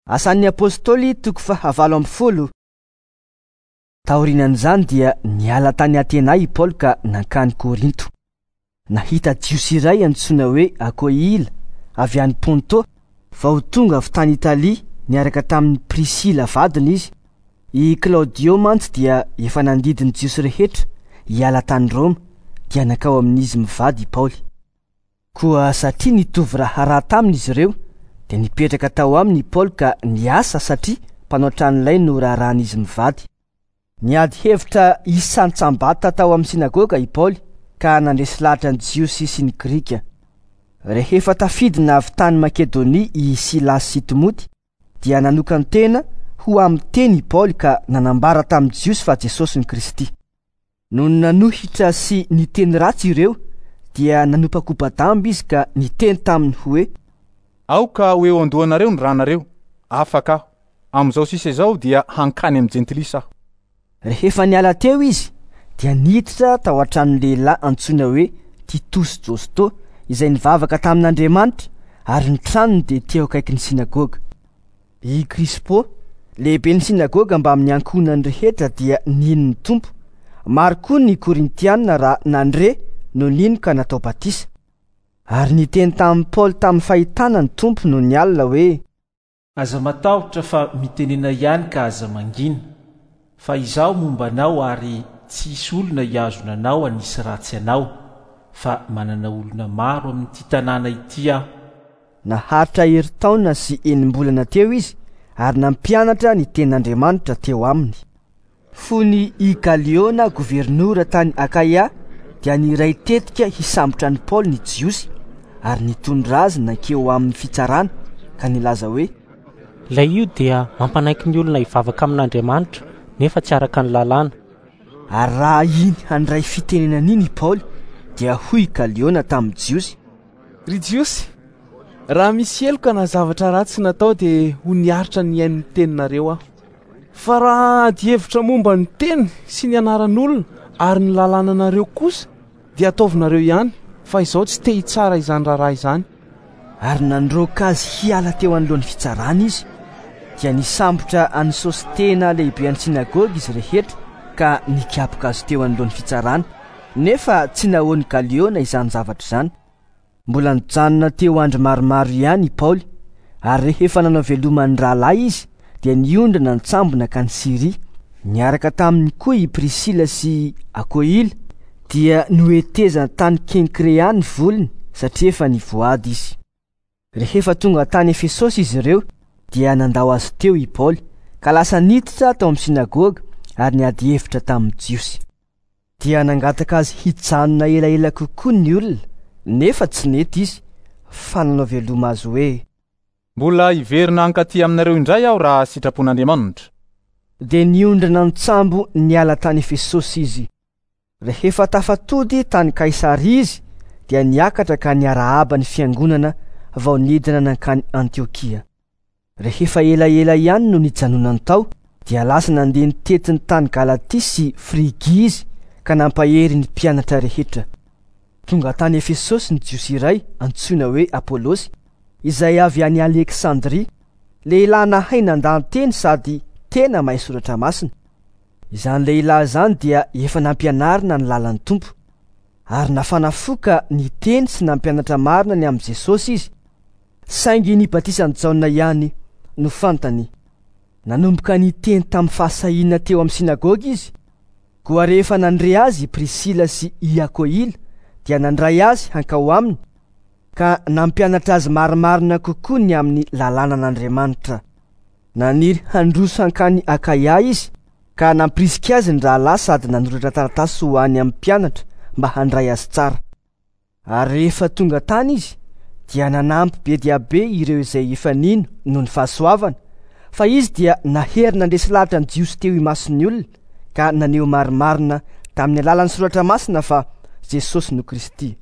Asan'ny Apostoly toko faha 18. Taorian'izany dia niala tany Atena i Paoly ka nankany Korinto. Nahita Jiosy iray antsoina hoe Akoila avy any Ponto vao tonga avy tany Italia niaraka tamin'i Prisila vadiny izy. I Klaodio mantsy dia efa nandidy ny Jiosy rehetra hiala tany Roma, dia nankao amin'izy mivady i Paoly. Koa satria nitovy raharaha taminy izy ireo, dia nipetraka tao aminy i Paoly ka niasa satria mpanao tranolay no raharahan'izy mivady. Niady hevitra isan-tsambata tao amin'ny synagoga i Paoly ka nandresy lahatra ny Jiosy sy ny Grika. Rehefa tafidina avy tany Makedonia i Silasy sy Timoty, dia nanokan-tena ho amin'ny teny i Paoly ka nanambara tamin'ny Jiosy fa Jesosy no Kristy. Nony nanohitra sy niteny ratsy ireo, dia nanopakopa-damba izy ka niteny taminy hoe: Aoka ho eo an-dohanareo ny ranareo, afaka aho. Amin'izao sisa izao dia hankany amin'ny jentilisa aho. Rehefa niala teo izy, dia niditra tao an-tranon'ny lehilahy antsoina hoe Titosy Josto, izay nivavaka tamin'Andriamanitra, ary ny tranony dia teo akaikin'ny synagoga. I Krispo, lehiben'ny synagoga mbamin'ny ankohonany rehetra dia nino ny Tompo. Maro koa ny Korintiana raha nandre no nino ka natao batisa. Ary niteny tamin'i Paoly tamin'ny fahitana ny Tompo nony alina hoe: Aza matahotra fa mitenena ihany ka aza mangina, fa Izaho momba anao ary tsy hisy olona hihazona anao hanisy ratsy anao, fa manana olona maro amin'ity tanàna ity Aho. Naharitra herintaona sy enim-bolana teo izy ary nampianatra ny tenin'Andriamanitra teo aminy. Fony i Galiona governora tany Akaia dia niray tetika hisambotra an'i Paoly ny Jiosy ary nitondra azy nankeo amin'ny fitsarana ka nilaza hoe: Ilay io dia mampanaiky ny olona hivavaka amin'Andriamanitra nefa tsy araka ny lalàna. Ary raha iny handray fitenenana iny i Paoly dia hoy i Galiona tamin'ny Jiosy: Ry Jiosy, raha misy heloka na zavatra ratsy natao dia ho niaritra nihaino ny teninareo aho. Fa raha ady hevitra momba ny teny sy ny anaran'olona ary ny lalànanareo kosa dia ataovinareo ihany, fa izaho tsy te hitsara izany raharaha izany. Ary nandroaka azy hiala teo anoloan'ny fitsarana izy. Dia nisambotra an'i Sostena lehiben'ny synagoga izy rehetra ka nikapoka azy teo anoloan'ny fitsarana, nefa tsy nahoan'i Galiona izany zavatra izany. Mbola nijanona teo andro maromaro ihany i Paoly, ary rehefa nanao veloma ny rahalahy izy dia niondrana an-tsambo nankany Syria. Niaraka taminy koa i Prisila sy Akoila, dia nohetezany tany Kenkrea ny volony satria efa nivoady izy. Rehefa tonga tany Efesosy izy ireo dia nandao azy teo i Paoly ka lasa niditra tao amin'ny synagoga ary niady hevitra tamin'ny Jiosy. Dia nangataka azy hijanona elaela kokoa ny olona, nefa tsy nety izy, fa nanao veloma azy hoe: Mbola hiverina hankaty aminareo indray aho raha sitrapon'Andriamanitra. Dia niondrana an-tsambo niala tany Efesosy izy. Rehefa tafatody tany Kaisaria izy, dia niakatra ka niarahaba ny fiangonana vao nidina nankany Antiokia. Rehefa elaela ihany no nijanonany tao, dia lasa nandeha nitety ny tany Galatia sy Frigia izy ka nampahery ny mpianatra rehetra. Tonga tany Efesosy ny Jiosy iray antsoina hoe Apolosy, izay avy any Aleksandria, lehilahy nahay nandahan-teny sady tena mahay soratra masina. Izany lehilahy izany dia efa nampianarina ny lalan'ny Tompo, ary nafana fo ka niteny sy nampianatra marina ny amin'i Jesosy izy, saingy ny batisan'i Jaona ihany no fantany. Nanomboka niteny tamin'ny fahasahiana teo amin'ny synagoga izy. Koa rehefa nandre azy i Prisila sy i Akoila dia nandray azy hankao aminy ka nampianatra azy marimarina kokoa ny amin'ny lalànan'Andriamanitra. Naniry handroso hankany Akaia izy ka nampirisika azy ny rahalahy sady nanoratra taratasy ho any amin'ny mpianatra mba handray azy tsara. Ary rehefa tonga tany izy dia nanampy be dia be ireo izay efa nino noho ny fahasoavana, fa izy dia nahery nandresy lahatra ny Jiosy teo imason'ny olona ka naneho marimarina tamin'ny alalan'ny soratra masina fa Jesosy no Kristy.